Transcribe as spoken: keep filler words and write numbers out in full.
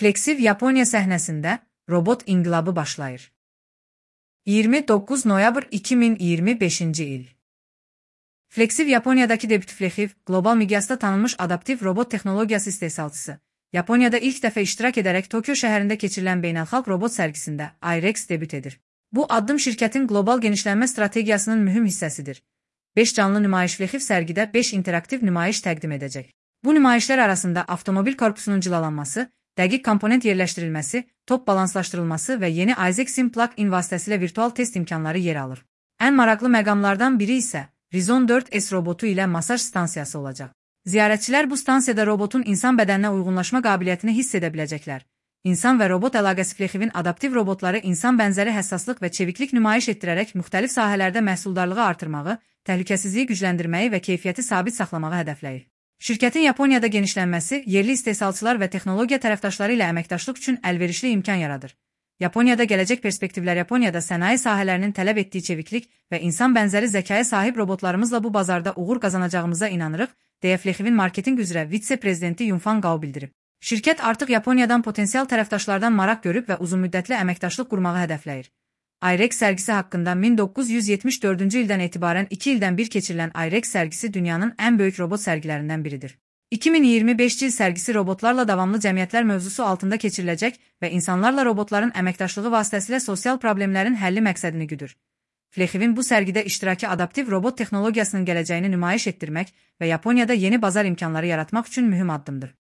Flexiv Yaponiya səhnəsində robot inqilabı başlayır. iyirmi doqquz noyabr iki min iyirmi beşinci il. Flexiv Yaponiyadakı debüt Flexiv, qlobal miqyasda tanınmış adaptiv robot texnologiyası istehsalçısı. Yaponiyada ilk dəfə iştirak edərək Tokyo şəhərində keçirilən beynəlxalq robot sərgisində IREX debüt edir. Bu addım şirkətin qlobal genişlənmə strategiyasının mühüm hissəsidir. beş canlı nümayiş Flexiv sərgidə beş interaktiv nümayiş təqdim edəcək. Bu nümayişlər arasında avtomobil korpusunun cilalanması, dəqiq komponent yerləşdirilməsi, top balanslaşdırılması və yeni Isaac Sim plug-in vasitəsilə virtual test imkanları yer alır. Ən maraqlı məqamlardan biri isə Rizon dörd S robotu ilə masaj stansiyası olacaq. Ziyarətçilər bu stansiyada robotun insan bədəninə uyğunlaşma qabiliyyətini hiss edə biləcəklər. İnsan və robot əlaqəsi Flexivin adaptiv robotları insan bənzəri həssaslıq və çeviklik nümayiş etdirərək müxtəlif sahələrdə məhsuldarlığı artırmağı, təhlükəsizliyi gücləndirməyi və keyfiyyəti sabit saxlamağı hədəfləyir. Şirkətin Yaponiyada genişlənməsi, yerli istehsalçılar və texnologiya tərəfdaşları ilə əməkdaşlıq üçün əlverişli imkan yaradır. Yaponiyada gələcək perspektivlər Yaponiyada sənaye sahələrinin tələb etdiyi çeviklik və insan bənzəri zəkaya sahib robotlarımızla bu bazarda uğur qazanacağımıza inanırıq, deyə Flexivin marketinq üzrə vitse-prezidenti Yunfan Gao bildirib. Şirkət artıq Yaponiyadan potensial tərəfdaşlardan maraq görüb və uzunmüddətli əməkdaşlıq qurmağı hədəfləyir. IREX sərgisi haqqında min doqquz yüz yetmiş dördüncü ildən etibarən iki ildən bir keçirilən IREX sərgisi dünyanın ən böyük robot sərgilərindən biridir. iki min iyirmi beşinci il sərgisi robotlarla davamlı cəmiyyətlər mövzusu altında keçiriləcək və insanlarla robotların əməkdaşlığı vasitəsilə sosial problemlərin həlli məqsədini güdür. Flexivin bu sərgidə iştiraki adaptiv robot texnologiyasının gələcəyini nümayiş etdirmək və Yaponiyada yeni bazar imkanları yaratmaq üçün mühüm addımdır.